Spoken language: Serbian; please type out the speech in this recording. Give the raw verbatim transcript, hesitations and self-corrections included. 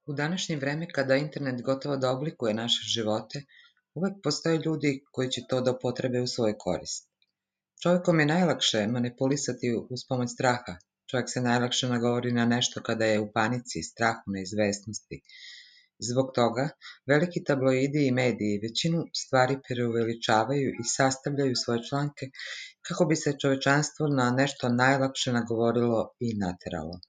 U današnje vreme kada internet gotovo da oblikuje naše živote, uvek postoje ljudi koji će to da upotrebe u svoju korist. Čovekom je najlakše manipulisati uz pomoć straha. Čovek se najlakše nagovori na nešto kada je u panici, strahu, neizvesnosti. Zbog toga, veliki tabloidi i mediji većinu stvari preuveličavaju i sastavljaju svoje članke kako bi se čovečanstvo na nešto najlakše nagovorilo i nateralo.